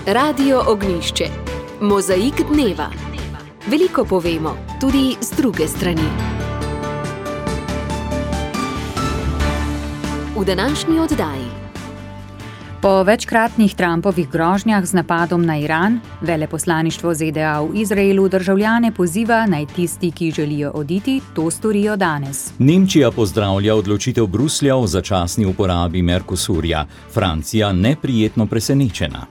Radio Ognjišče. Mozaik dneva. Veliko povemo, tudi z druge strani. V današnji oddaji. Po večkratnih Trumpovih grožnjah z napadom na Iran, veleposlaništvo ZDA v Izraelu državljane poziva, naj tisti, ki želijo oditi, to storijo danes. Nemčija pozdravlja odločitev Bruslja o začasni uporabi Mercosurja. Francija neprijetno presenečena.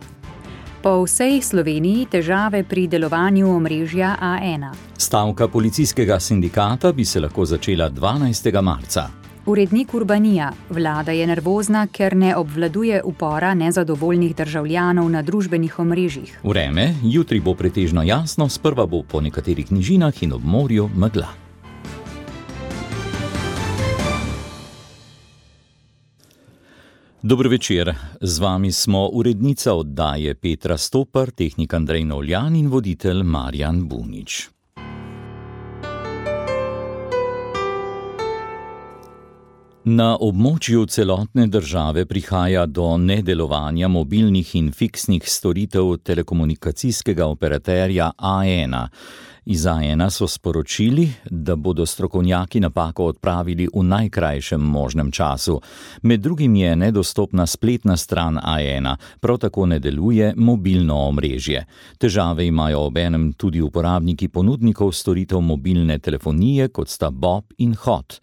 Po vsej Sloveniji težave pri delovanju omrežja A1. Stavka policijskega sindikata bi se lahko začela 12. marca. Urednik Urbanija. Vlada je nervozna, ker ne obvladuje upora nezadovoljnih državljanov na družbenih omrežjih. Vreme, jutri bo pretežno jasno, sprva bo po nekaterih nižinah in ob morju megla. Dobro večer, z vami smo urednica oddaje Petra Stopar, tehnik Andrej Novljan in voditelj Marjan Bunič. Na območju celotne države prihaja do nedelovanja mobilnih in fiksnih storitev telekomunikacijskega operaterja A1. Iz A1 so sporočili, da bodo strokovnjaki napako odpravili v najkrajšem možnem času. Med drugim je nedostopna spletna stran A1, prav tako ne deluje mobilno omrežje. Težave imajo obenem tudi uporabniki ponudnikov storitev mobilne telefonije, kot sta Bob in Hot.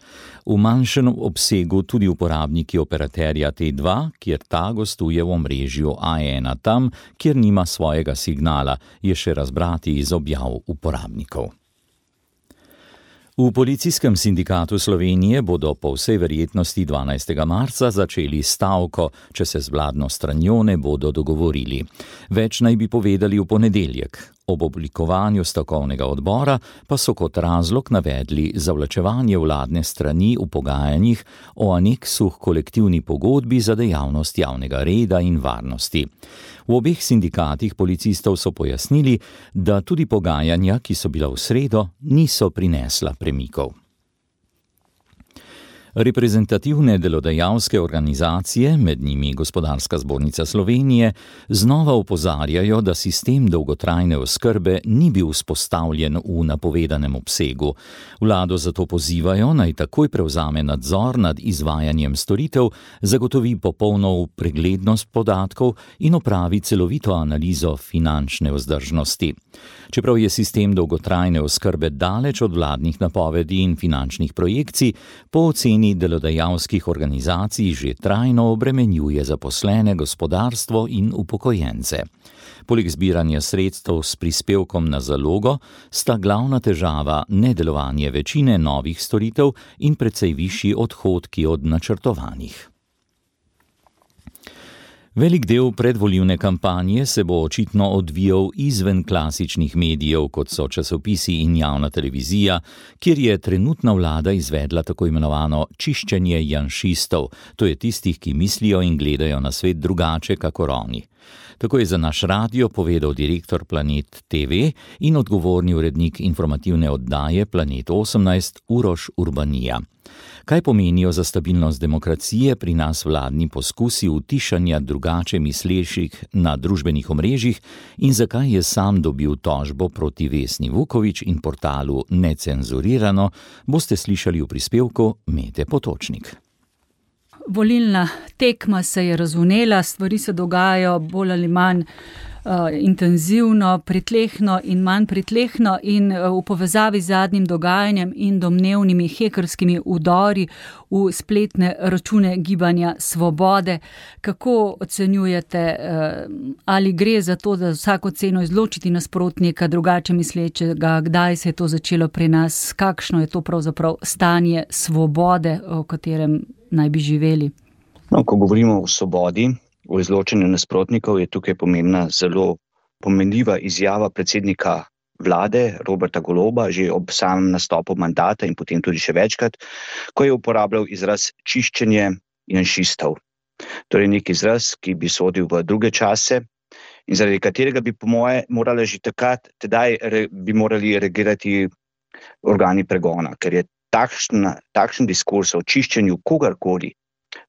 V manjšem obsegu tudi uporabniki operaterja T2, kjer ta gostuje v omrežju A1 tam, kjer nima svojega signala, je še razbrati iz objav uporabnikov. V Policijskem sindikatu Slovenije bodo po vsej verjetnosti 12. marca začeli stavko, če se z vladno stranjo ne bodo dogovorili. Več naj bi povedali v ponedeljek. Ob oblikovanju stavkovnega odbora pa so kot razlog navedli zavlačevanje vladne strani v pogajanjih o aneksu k kolektivni pogodbi za dejavnost javnega reda in varnosti. V obeh sindikatih policistov so pojasnili, da tudi pogajanja, ki so bila v sredo, niso prinesla premikov. Reprezentativne delodajalske organizacije, med njimi Gospodarska zbornica Slovenije, znova opozarjajo, da sistem dolgotrajne oskrbe ni bil vzpostavljen v napovedanem obsegu. Vlado zato pozivajo, naj takoj prevzame nadzor nad izvajanjem storitev, zagotovi popolno preglednost podatkov in opravi celovito analizo finančne vzdržnosti. Čeprav je sistem dolgotrajne oskrbe daleč od vladnih napovedi in finančnih projekcij, po oceni delodajalskih organizacij že trajno obremenjuje zaposlene, gospodarstvo in upokojence. Poleg zbiranja sredstev s prispevkom na zalogo sta glavna težava nedelovanje večine novih storitev in precej višji odhodki od načrtovanih. Velik del predvolilne kampanje se bo očitno odvijal izven klasičnih medijev, kot so časopisi in javna televizija, kjer je trenutna vlada izvedla tako imenovano čiščenje janšistov, to je tistih, ki mislijo in gledajo na svet drugače kakor oni. Tako je za naš radio povedal direktor Planet TV in odgovorni urednik informativne oddaje Planet 18 Uroš Urbanija. Kaj pomenijo za stabilnost demokracije pri nas vladni poskusi utišanja drugače mislečih na družbenih omrežjih in zakaj je sam dobil tožbo proti Vesni Vuković in portalu Necenzurirano, boste slišali v prispevku Mete Potočnik. Volilna tekma se je razvnela, stvari se dogajajo bolj ali manj intenzivno, pritlehno in manj pritlehno in v povezavi z zadnjim dogajanjem in domnevnimi hekerskimi vdori v spletne račune Gibanja Svobode. Kako ocenjujete, ali gre za to, da vsako ceno izločiti nasprotnika drugače mislečega, kdaj se je to začelo pri nas, kakšno je to pravzaprav stanje svobode, v katerem naj bi živeli? Ko govorimo o svobodi, o izločanju nasprotnikov, je tukaj pomembna zelo pomenljiva izjava predsednika vlade Roberta Goloba že ob samem nastopu mandata in potem tudi še večkrat, ko je uporabljal izraz čiščenje janšistov. Torej nek izraz, ki bi sodil v druge čase in zaradi katerega bi po moje morali že tedaj bi morali reagirati organi pregona, ker je takšen diskurs o čiščenju kogarkoli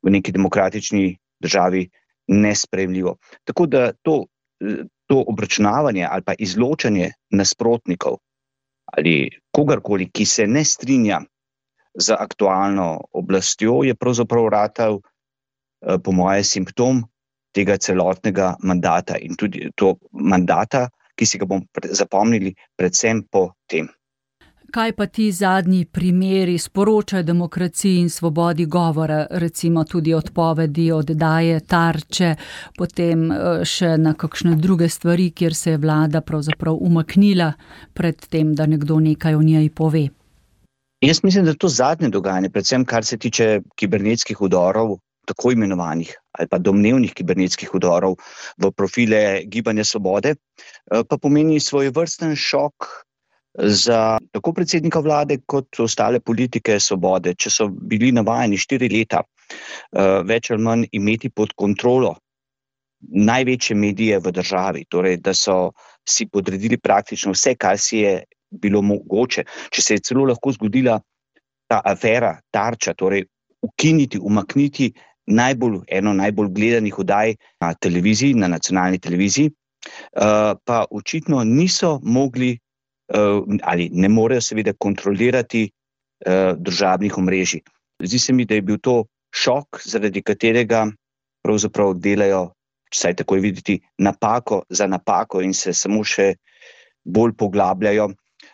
v neki demokratični državi nesprejemljivo. Tako da to obračunavanje ali pa izločanje nasprotnikov ali kogarkoli, ki se ne strinja z aktualno oblastjo, je pravzaprav ratal, po moje, simptom tega celotnega mandata in tudi to mandata, ki si ga bomo zapomnili predvsem po tem. Kaj pa ti zadnji primeri sporočajo demokraciji in svobodi govora, recimo tudi odpovedi, oddaje Tarče, potem še na kakšne druge stvari, kjer se je vlada pravzaprav umaknila pred tem, da nekdo nekaj o njej pove? Jaz mislim, da to zadnje dogajanje, predvsem kar se tiče kibernetskih vdorov, tako imenovanih ali pa domnevnih kibernetskih vdorov v profile Gibanja Svobode, pa pomeni svojevrsten šok za tako predsednika vlade kot ostale politike Svobode, če so bili navajeni 4 leta več ali manj imeti pod kontrolo največje medije v državi, torej da so si podredili praktično vse, kar si je bilo mogoče. Če se je celo lahko zgodila ta afera Tarča, torej umakniti eno najbolj gledanih oddaj na televiziji, na nacionalni televiziji, pa očitno niso mogli ali ne morejo seveda kontrolirati družabnih omrežij. Zdi se mi, da je bil to šok, zaradi katerega pravzaprav delajo, vsaj tako je videti, napako za napako in se samo še bolj poglabljajo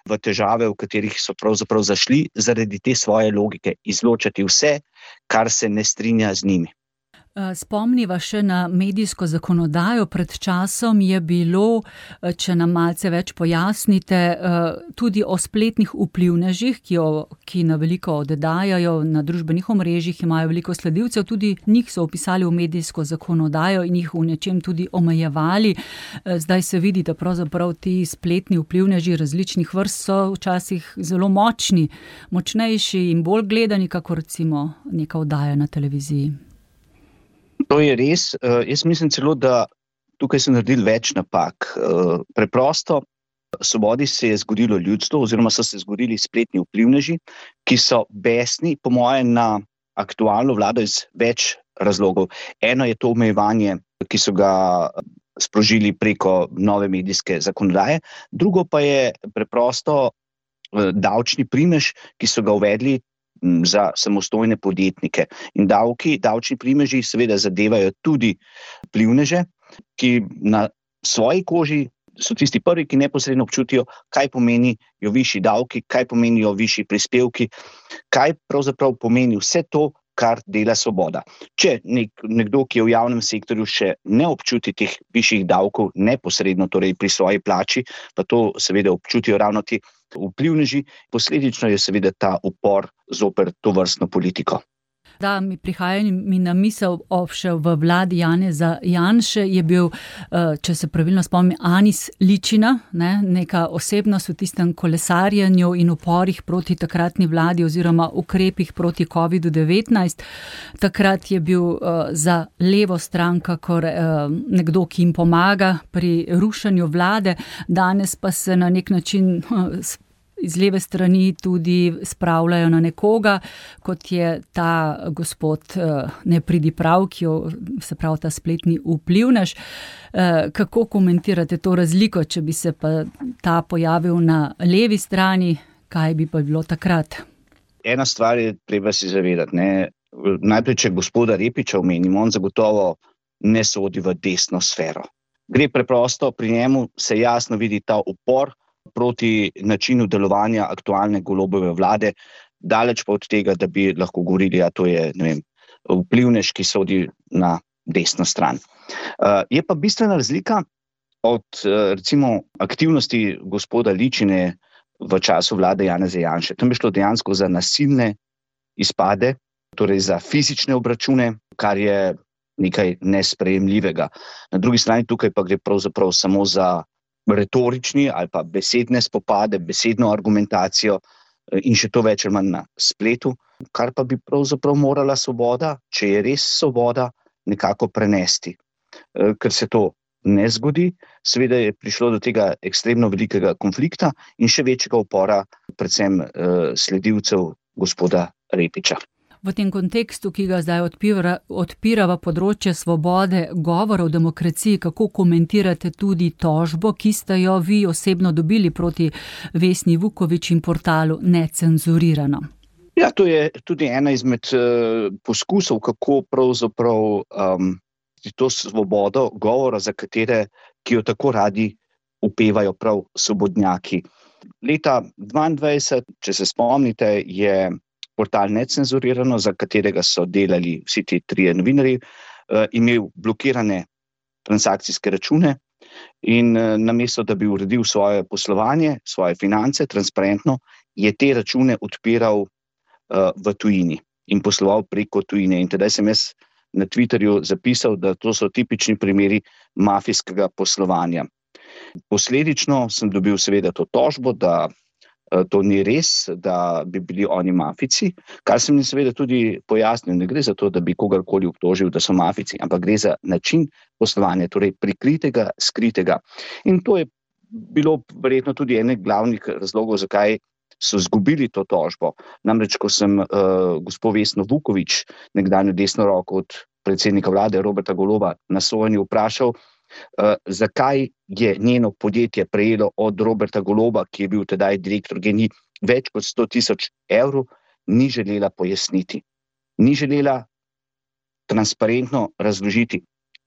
v težave, v katerih so pravzaprav zašli zaradi te svoje logike, izločati vse, kar se ne strinja z njimi. Spomniva še na medijsko zakonodajo. Pred časom je bilo, če nam malce več pojasnite, tudi o spletnih vplivnežih, ki na veliko oddajajo na družbenih omrežjih, imajo veliko sledilcev, tudi njih so vpisali v medijsko zakonodajo in jih v nečem tudi omejevali. Zdaj se vidi, da pravzaprav ti spletni vplivneži različnih vrst so včasih zelo močni, močnejši in bolj gledani, kakor recimo neka oddaja na televiziji. To je res. Jaz mislim celo, da tukaj so naredili več napak. Preprosto Svobodi se je zgodilo ljudstvo oziroma so se zgodili spletni vplivneži, ki so besni, po moje, na aktualno vlado iz več razlogov. Eno je to omejevanje, ki so ga sprožili preko nove medijske zakonodaje, drugo pa je preprosto davčni primež, ki so ga uvedli za samostojne podjetnike. In davčni primeži seveda zadevajo tudi vplivneže, ki na svoji koži so tisti prvi, ki neposredno občutijo, kaj pomenijo višji davki, kaj pomenijo višji prispevki, kaj pravzaprav pomeni vse to, kar dela Svoboda. Če nekdo, ki je v javnem sektorju, še ne občuti teh višjih davkov neposredno, torej pri svoji plači, pa to seveda občutijo ravno ti vplivneži, posledično je seveda ta upor zoper tovrstno politiko. Da, mi prihaja na misel še v vladi Janeza Janše je bil, če se pravilno spomnim, Anis Ličina, neka osebnost v tistem kolesarjenju in uporih proti takratni vladi oziroma ukrepih proti COVID-19. Takrat je bil za levo stran kakor nekdo, ki jim pomaga pri rušenju vlade, danes pa se na nek način iz leve strani tudi spravljajo na nekoga, kot je ta gospod Nepridiprav, se pravi ta spletni vplivnež. Kako komentirate to razliko, če bi se pa ta pojavil na levi strani, kaj bi pa bilo takrat? Ena stvar je treba si zavedati. Najprej, če gospoda Repiča omenimo, on zagotovo ne sodi v desno sfero. Gre preprosto, pri njemu se jasno vidi ta upor proti načinu delovanja aktualne Golobove vlade, daleč pa od tega, da bi lahko govorili, to je, vplivnež, ki sodi na desno stran. Je pa bistvena razlika od, recimo, aktivnosti gospoda Ličine v času vlade Janeza Janše. Tam je šlo dejansko za nasilne izpade, torej za fizične obračune, kar je nekaj nesprejemljivega. Na drugi strani tukaj pa gre pravzaprav samo za retorični ali pa besedne spopade, besedno argumentacijo in še to več ali manj na spletu, kar pa bi pravzaprav morala Svoboda, če je res Svoboda, nekako prenesti. Ker se to ne zgodi, seveda je prišlo do tega ekstremno velikega konflikta in še večjega upora predvsem sledilcev gospoda Repiča. V tem kontekstu, ki ga zdaj odpirava področje svobode govora v demokraciji, kako komentirate tudi tožbo, ki ste jo vi osebno dobili proti Vesni Vuković in portalu Necenzurirano? Ja, to je tudi ena izmed poskusov, kako pravzaprav to svobodo govora, ki jo tako radi upevajo prav svobodnjaki. Leta 2022, če se spomnite, je portal Necenzurirano, za katerega so delali vsi ti trije novinarji, imel blokirane transakcijske račune in namesto, da bi uredil svoje poslovanje, svoje finance transparentno, je te račune odpiral v tujini in posloval preko tujine. In tedaj sem jaz na Twitterju zapisal, da to so tipični primeri mafijskega poslovanja. Posledično sem dobil seveda to tožbo, da to ni res, da bi bili oni mafijci, kar sem jim seveda tudi pojasnil. Ne gre za to, da bi kogarkoli obtožil, da so mafijci, ampak gre za način poslovanja, torej prikritega, skritega. In to je bilo verjetno tudi eden glavnih razlogov, zakaj so izgubili to tožbo. Namreč, ko sem gospo Vesno Vuković, nekdanjo desno roko od predsednika vlade Roberta Goloba, na sojenju vprašal, zakaj je njeno podjetje prejelo od Roberta Goloba, ki je bil tedaj direktor GEN-I, več kot 100.000 evrov, ni želela pojasniti. Ni želela transparentno razložiti,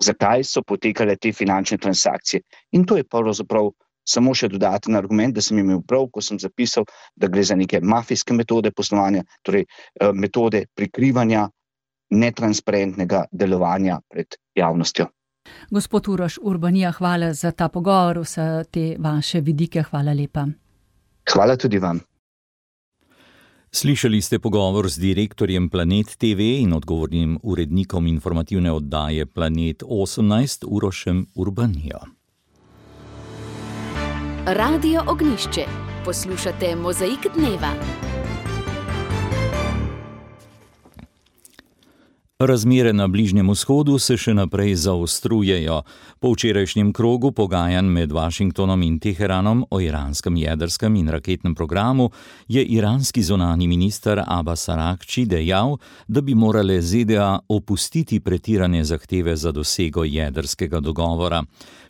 zakaj so potekale te finančne transakcije. In to je pravzaprav samo še dodaten argument, da sem imel prav, ko sem zapisal, da gre za neke mafijske metode poslovanja, torej metode prikrivanja netransparentnega delovanja pred javnostjo. Gospod Uroš Urbanija, hvala za ta pogovor, vse te vaše vidike, hvala lepa. Hvala tudi vam. Slišali ste pogovor z direktorjem Planet TV in odgovornim urednikom informativne oddaje Planet 18 Urošem Urbanijo. Radio Ognjišče. Poslušate Mozaik dneva. Razmere na Bližnjem vzhodu se še naprej zaostrujejo. Po včerajšnjem krogu pogajanj med Washingtonom in Teheranom o iranskem jedrskem in raketnem programu je iranski zunanji minister Abbas Aragči dejal, da bi morale ZDA opustiti pretirane zahteve za dosego jedrskega dogovora.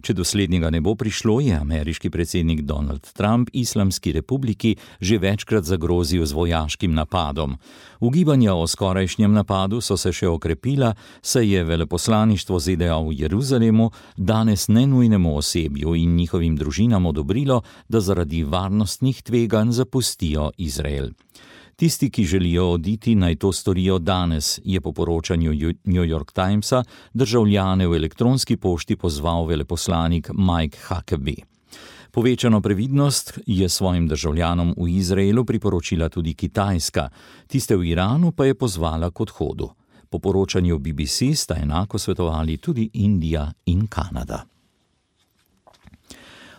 Če do slednjega ne bo prišlo, je ameriški predsednik Donald Trump Islamski republiki že večkrat zagrozil z vojaškim napadom. Ugibanja o skorajšnjem napadu so se še okrepila, saj je veleposlaništvo ZDA v Jeruzalemu danes nenujnemu osebju in njihovim družinam odobrilo, da zaradi varnostnih tveganj zapustijo Izrael. Tisti, ki želijo oditi, naj to storijo danes, je po poročanju New York Timesa državljane v elektronski pošti pozval veleposlanik Mike Huckabee. Povečano previdnost je svojim državljanom v Izraelu priporočila tudi Kitajska, tiste v Iranu pa je pozvala k odhodu. Po poročanju BBC sta enako svetovali tudi Indija in Kanada.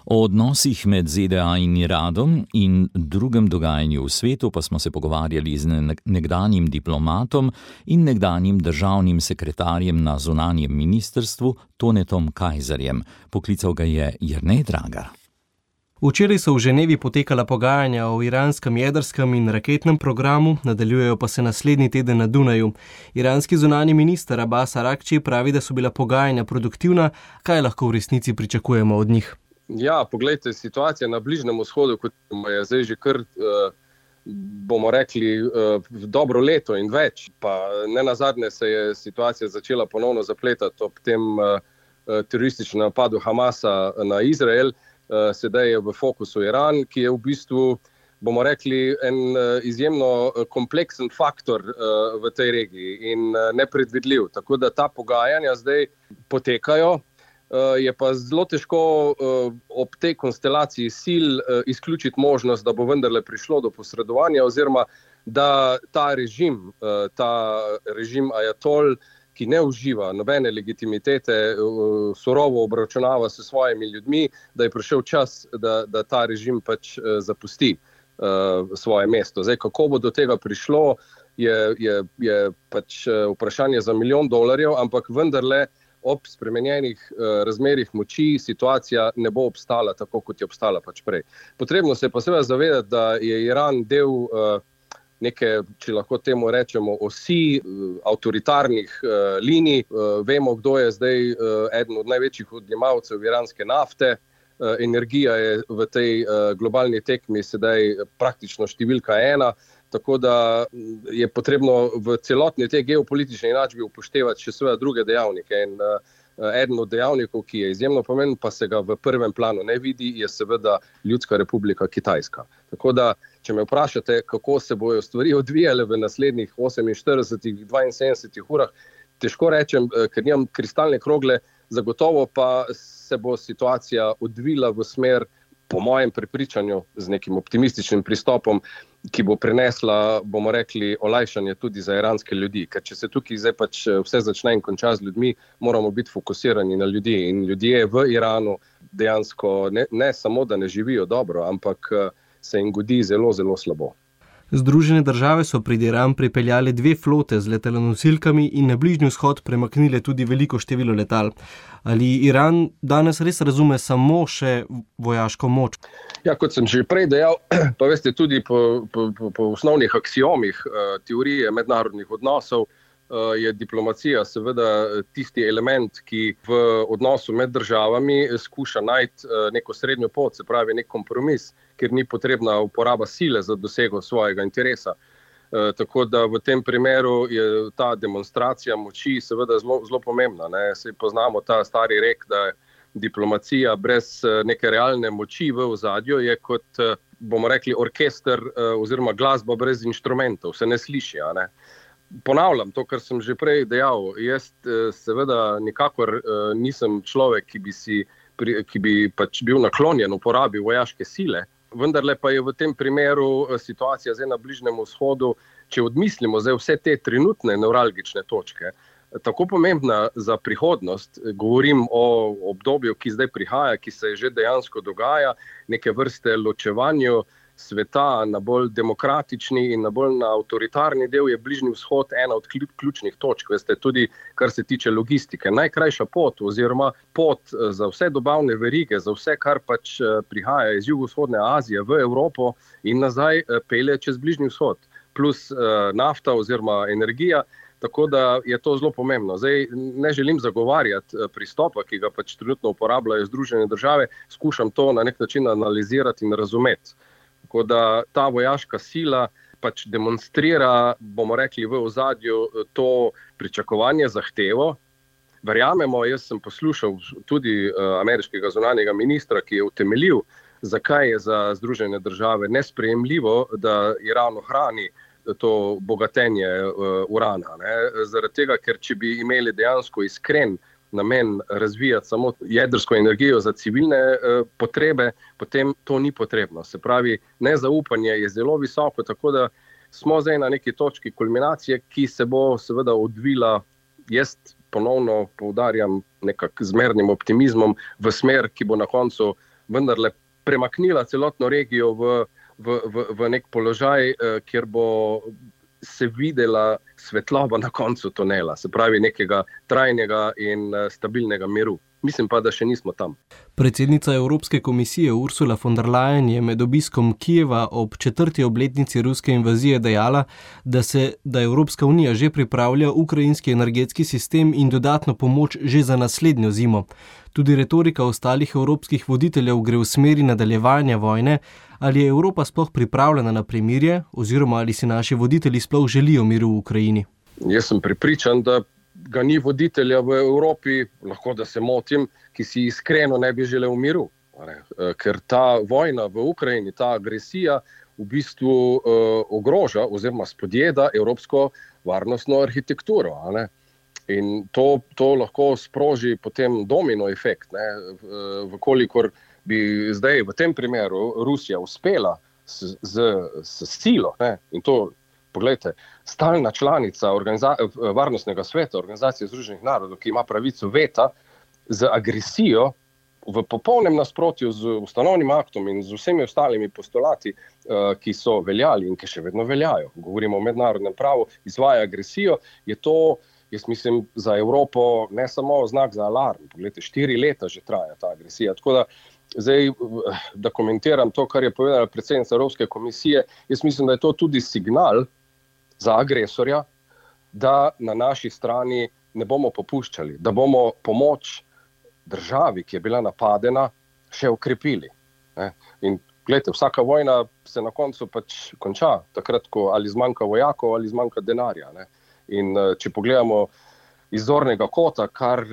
O odnosih med ZDA in Iranom in drugem dogajanju v svetu pa smo se pogovarjali z nekdanjim diplomatom in nekdanjim državnim sekretarjem na zunanjem ministrstvu Tonetom Kajzerjem. Poklical ga je Jernej Dragar. Včeraj so v Ženevi potekala pogajanja o iranskem jedrskem in raketnem programu, nadaljujejo pa se naslednji teden na Dunaju. Iranski zunanji minister Abbas Aragči pravi, da so bila pogajanja produktivna. Kaj lahko v resnici pričakujemo od njih? Ja, poglejte, situacija na Bližnjem vzhodu, kot je zdaj že kar, bomo rekli, dobro leto in več, pa nenazadnje se je situacija začela ponovno zapletati ob tem terorističnem napadu Hamasa na Izrael. Sedaj je v fokusu Iran, ki je v bistvu, bomo rekli, en izjemno kompleksen faktor v tej regiji in nepredvidljiv. Tako da ta pogajanja zdaj potekajo. Je pa zelo težko ob tej konstelaciji sil izključiti možnost, da bo vendarle prišlo do posredovanja oziroma da ta režim ajatol, ki ne uživa nobene legitimitete, surovo obračunava s svojimi ljudmi, da je prišel čas, da ta režim pač zapusti svoje mesto. Zdaj, kako bo do tega prišlo, je pač vprašanje za $1 milijon, ampak vendarle ob spremenjenih razmerih moči situacija ne bo obstala tako, kot je obstala pač prej. Potrebno se je pa seveda zavedati, da je Iran del neke, če lahko temu rečemo, osi avtoritarnih linij. Vemo, kdo je zdaj eden od največjih odjemalcev iranske nafte. Energija je v tej globalni tekmi sedaj praktično številka 1, tako da je potrebno v celotni tej geopolitični enačbi upoštevati še seveda druge dejavnike. In eden od dejavnikov, ki je izjemno pomemben, pa se ga v prvem planu ne vidi, je seveda Ljudska republika Kitajska. Tako da, če me vprašate, kako se bojo stvari odvijale v naslednjih 48-72 urah, težko rečem, ker nimam kristalne krogle, zagotovo pa se bo situacija odvila v smer, po mojem prepričanju, z nekim optimističnim pristopom, ki bo prinesla, bomo rekli, olajšanje tudi za iranske ljudi. Ker če se tukaj zdaj pač vse začne in konča z ljudmi, moramo biti fokusirani na ljudi. In ljudje v Iranu dejansko ne samo, da ne živijo dobro, ampak se jim godi zelo, zelo slabo. Združene države so pred Iran pripeljali 2 flote z letalonosilkami in na Bližnji vzhod premaknile tudi veliko število letal. Ali Iran danes res razume samo še vojaško moč? Ja, kot sem že prej dejal, pa veste, tudi po osnovnih aksiomih teorije mednarodnih odnosov je diplomacija seveda tisti element, ki v odnosu med državami skuša najti neko srednjo pot, se pravi nek kompromis, ker ni potrebna uporaba sile za dosego svojega interesa. Tako da v tem primeru je ta demonstracija moči seveda zelo pomembna. Saj poznamo ta stari rek, da je diplomacija brez neke realne moči v ozadju je kot, bomo rekli, orkester oziroma glasba brez inštrumentov, se ne sliši, ne? Ponavljam to, kar sem že prej dejal. Jaz seveda nikakor nisem človek, ki bi pač bil naklonjen uporabi vojaške sile, vendarle pa je v tem primeru situacija zdaj na Bližnjem vzhodu, če odmislimo zdaj vse te trenutne nevralgične točke, tako pomembna za prihodnost. Govorim o obdobju, ki zdaj prihaja, ki se že dejansko dogaja, neke vrste ločevanju sveta na bolj demokratični in na bolj na avtoritarni del je Bližnji vzhod ena od ključnih točk. Veste, tudi kar se tiče logistike. Najkrajša pot oziroma pot za vse dobavne verige, za vse, kar pač prihaja iz jugovzhodne Azije v Evropo in nazaj, pelje čez Bližnji vzhod. Plus nafta oziroma energija. Tako da je to zelo pomembno. Zdaj ne želim zagovarjati pristopa, ki ga pač trenutno uporabljajo Združene države, skušam to na nek način analizirati in razumeti. Tako da ta vojaška sila pač demonstrira, bomo rekli, v ozadju to pričakovanje, zahtevo. Verjamemo, jaz sem poslušal tudi ameriškega zunanjega ministra, ki je utemeljil, zakaj je za Združene države nesprejemljivo, da Iran ohrani to bogatenje urana. Zaradi tega, ker če bi imeli dejansko iskren namen razvijati samo jedrsko energijo za civilne potrebe, potem to ni potrebno. Se pravi, nezaupanje je zelo visoko, tako da smo zdaj na neki točki kulminacije, ki se bo seveda odvila, jaz ponovno poudarjam, nekak zmernim optimizmom v smer, ki bo na koncu vendarle premaknila celotno regijo v nek položaj, kjer bo se videla svetloba na koncu tunela, se pravi nekega trajnega in stabilnega miru. Mislim pa, da še nismo tam. Predsednica Evropske komisije Ursula von der Leyen je med obiskom Kijeva ob 4. obletnici ruske invazije dejala, da Evropska unija že pripravlja ukrajinski energetski sistem in dodatno pomoč že za naslednjo zimo. Tudi retorika ostalih evropskih voditeljev gre v smeri nadaljevanja vojne. Ali je Evropa sploh pripravljena na premirje, oziroma ali si naši voditelji sploh želijo miru v Ukrajini? Jaz sem prepričan, da ga ni voditelja v Evropi, lahko da se motim, ki si iskreno ne bi želel miru. Ker ta vojna v Ukrajini, ta agresija v bistvu ogroža oziroma spodjeda evropsko varnostno arhitekturo. In to lahko sproži potem domino efekt. Vkolikor bi zdaj v tem primeru Rusija uspela s silo, in to, poglejte, stalna članica Varnostnega sveta Organizacije Združenih narodov, ki ima pravico veta, z agresijo v popolnem nasprotju z ustanovnim aktom in z vsemi ostalimi postulati, ki so veljali in ki še vedno veljajo, govorimo o mednarodnem pravu, izvaja agresijo, je to, jaz mislim, za Evropo ne samo znak za alarm. Poglejte, 4 leta že traja ta agresija. Tako da Zdaj, da komentiram to, kar je povedala predsednica Evropske komisije, jaz mislim, da je to tudi signal za agresorja, da na naši strani ne bomo popuščali, da bomo pomoč državi, ki je bila napadena, še okrepili. In gledajte, vsaka vojna se na koncu pač konča, takrat, ko ali zmanjka vojakov ali zmanjka denarja. In če pogledamo iz zornega kota, kar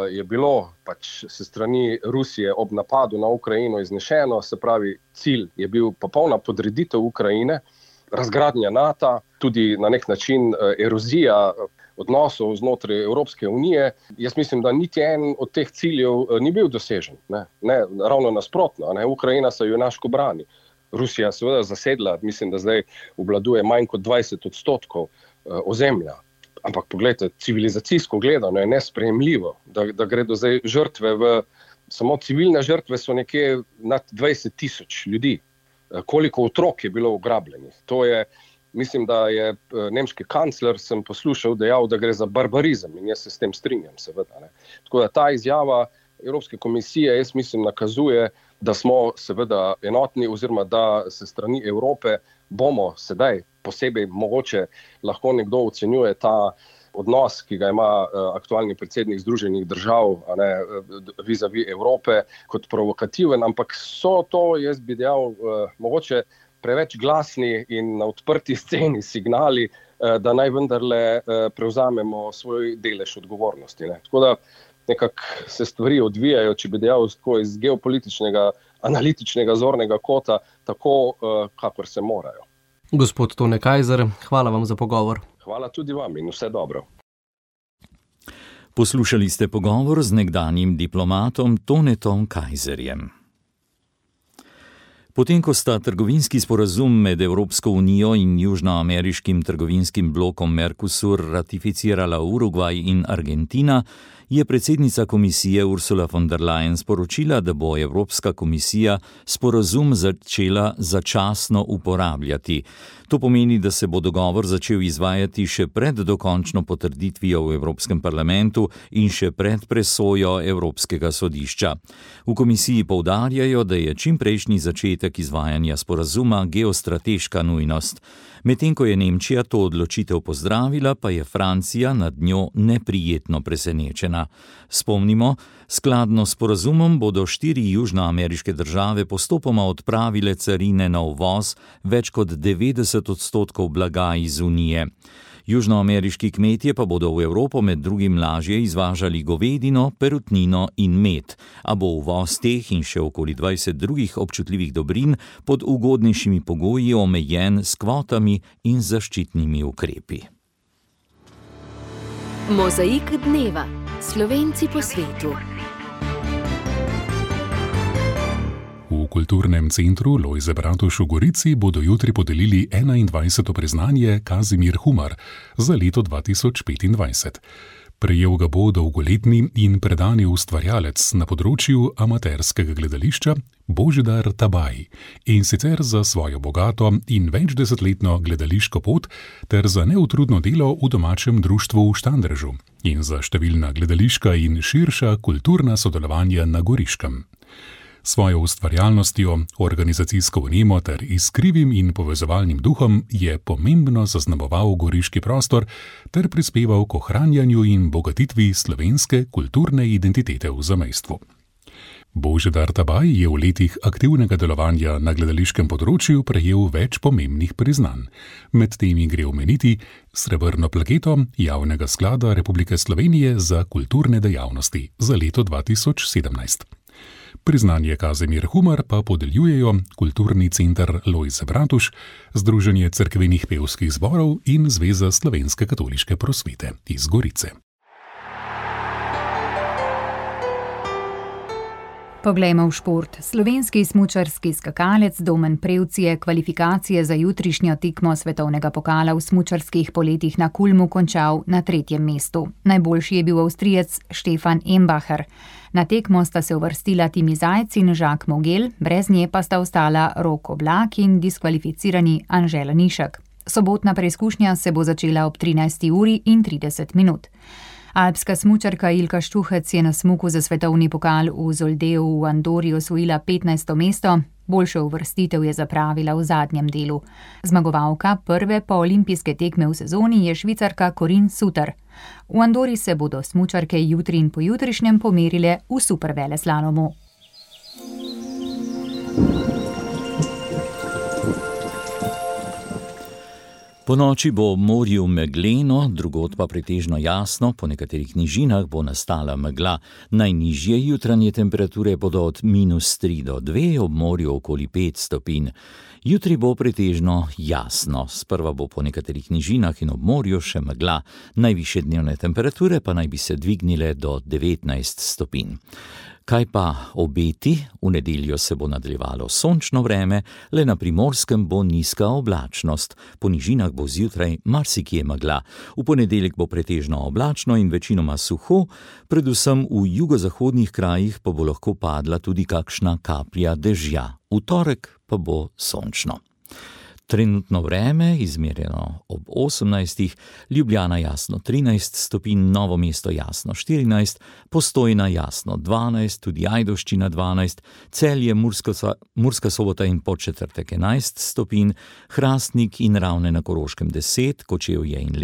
je bilo pač se strani Rusije ob napadu na Ukrajino iznešeno, se pravi, cilj je bil popolna podreditev Ukrajine, razgradnja NATO, tudi na nek način erozija odnosov znotraj Evropske unije. Jaz mislim, da niti en od teh ciljev ni bil dosežen. Ne, ravno nasprotno. Ukrajina se junaško brani. Rusija seveda zasedla, mislim, da zdaj obvladuje manj kot 20% ozemlja. Ampak poglejte, civilizacijsko gledano je nesprejemljivo, da gredo zdaj žrtve samo civilne žrtve so nekje nad 20,000 ljudi. Koliko otrok je bilo ugrabljenih. To je, mislim, da je nemški kancler, sem poslušal, dejal, da gre za barbarizem in jaz se s tem strinjam, seveda. Tako da ta izjava Evropske komisije, jaz mislim, nakazuje, da smo seveda enotni oziroma da se strani Evrope bomo sedaj posebej mogoče lahko nekdo ocenjuje ta odnos, ki ga ima aktualni predsednik Združenih držav vis-a-vis Evrope kot provokativen, ampak so to, jaz bi dejal, mogoče preveč glasni in na odprti sceni signali, da naj vendarle prevzamemo svoj delež odgovornosti. Tako da nekako se stvari odvijajo, če bi dejal iz geopolitičnega, analitičnega zornega kota, tako, kakor se morajo. Gospod Tone Kajzer, hvala vam za pogovor. Hvala tudi vam in vse dobro. Poslušali ste pogovor z nekdanjim diplomatom Tonetom Kajzerjem. Potem, ko sta trgovinski sporazum med Evropsko unijo in južnoameriškim trgovinskim blokom Mercosur ratificirala Urugvaj in Argentina, je predsednica komisije Ursula von der Leyen sporočila, da bo Evropska komisija sporazum začela začasno uporabljati. To pomeni, da se bo dogovor začel izvajati še pred dokončno potrditvijo v Evropskem parlamentu in še pred presojo Evropskega sodišča. V komisiji poudarjajo, da je čimprejšnji začetek izvajanja sporazuma geostrateška nujnost. Medtem ko je Nemčija to odločitev pozdravila, pa je Francija nad njo neprijetno presenečena. Spomnimo, skladno s sporazumom bodo 4 južnoameriške države postopoma odpravile carine na uvoz več kot 90% blaga iz Unije. Južnoameriški kmetje pa bodo v Evropo med drugim lažje izvažali govedino, perutnino in med, a bo uvoz teh in še okoli 20 drugih občutljivih dobrin pod ugodnejšimi pogoji omejen s kvotami in zaščitnimi ukrepi. Mozaik dneva. Slovenci po svetu. V kulturnem centru Lojze Bratuš v Gorici bodo jutri podelili 21. priznanje Kazimir Humar za leto 2025. Prejel ga bo dolgoletni in predani ustvarjalec na področju amaterskega gledališča Božidar Tabaj, in sicer za svojo bogato in večdesetletno gledališko pot ter za neutrudno delo v domačem društvu v Štandrežu in za številna gledališka in širša kulturna sodelovanja na Goriškem. Svojo ustvarjalnostjo, organizacijsko vnemo ter iskrivim in povezovalnim duhom je pomembno zaznamoval goriški prostor ter prispeval k ohranjanju in bogatitvi slovenske kulturne identitete v zamejstvu. Božidar Tabaj je v letih aktivnega delovanja na gledališkem področju prejel več pomembnih priznanj. Med temi gre omeniti srebrno plaketo Javnega sklada Republike Slovenije za kulturne dejavnosti za leto 2017. Priznanje Kazimir Humar pa podeljujejo Kulturni center Lojze Bratuš, Združenje cerkvenih pevskih zborov in Zveza slovenske katoliške prosvete iz Gorice. Poglejmo v šport. Slovenski smučarski skakalec Domen Prevc je kvalifikacije za jutrišnjo tekmo svetovnega pokala v smučarskih poletih na Kulmu končal na 3. mestu. Najboljši je bil Avstrijec Stefan Embacher. Na tekmo sta se uvrstila Timi Zajc in Jacques Mogel, brez nje pa sta ostala Rok Oblak in diskvalificirani Anže Lanišek. Sobotna preizkušnja se bo začela ob 13:30. Alpska smučarka Ilka Štuhec je na smuku za svetovni pokal v Zoldeju v Andori osvojila 15. mesto. Boljšo uvrstitev je zapravila v zadnjem delu. Zmagovalka prve poolimpijske tekme v sezoni je Švicarka Corinne Suter. V Andori se bodo smučarke jutri in pojutrišnjem pomerile v superveleslalomu. Po noči bo ob morju megleno, drugod pa pretežno jasno, po nekaterih nižinah bo nastala megla. Najnižje jutranje temperature bodo od -3 do 2, ob morju okoli 5 stopinj. Jutri bo pretežno jasno, sprva bo po nekaterih nižinah in ob morju še megla. Najvišje dnevne temperature pa naj bi se dvignile do 19 stopinj. Kaj pa obeti? V nedeljo se bo nadaljevalo sončno vreme, le na Primorskem bo nizka oblačnost. Po nižinah bo zjutraj marsikje megla. V ponedeljek bo pretežno oblačno in večinoma suho, predvsem v jugozahodnih krajih pa bo lahko padla tudi kakšna kaplja dežja. V torek pa bo sončno. Trenutno vreme, izmerjeno ob 18, Ljubljana jasno 13 stopinj, Novo mesto jasno 14, Postojna jasno 12, tudi Ajdovščina 12, Celje, Murska Sobota in Podčetrtek 11 stopinj, Hrastnik in Ravne na Koroškem 10, Kočevje in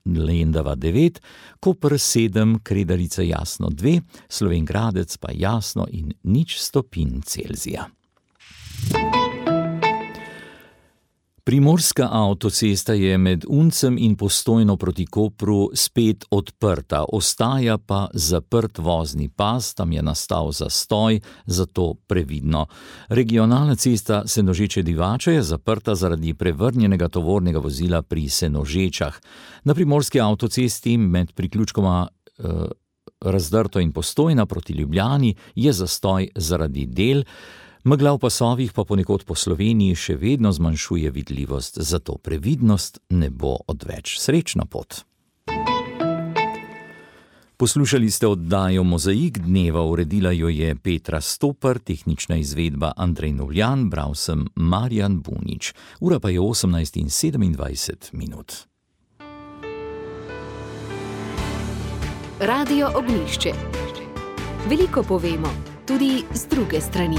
Lendava 9, Koper 7, Kredarica jasno 2, Slovenj Gradec pa jasno in 0 stopinj Celzija. Primorska avtocesta je med Uncem in Postojno proti Kopru spet odprta, ostaja pa zaprt vozni pas, tam je nastal zastoj, zato previdno. Regionalna cesta Senožeče-Divača je zaprta zaradi prevrnjenega tovornega vozila pri Senožečah. Na primorski avtocesti med priključkoma Razdrto in Postojna proti Ljubljani je zastoj zaradi del. Megla v pasovih pa ponekod po Sloveniji še vedno zmanjšuje vidljivost, zato previdnost ne bo odveč. Srečno pot. Poslušali ste oddajo Mozaik dneva, uredila jo je Petra Stopar, tehnična izvedba Andrej Novljan, bral sem Marjan Bunič. Ura pa je 18:27. Radio Ognjišče. Veliko povemo, tudi z druge strani.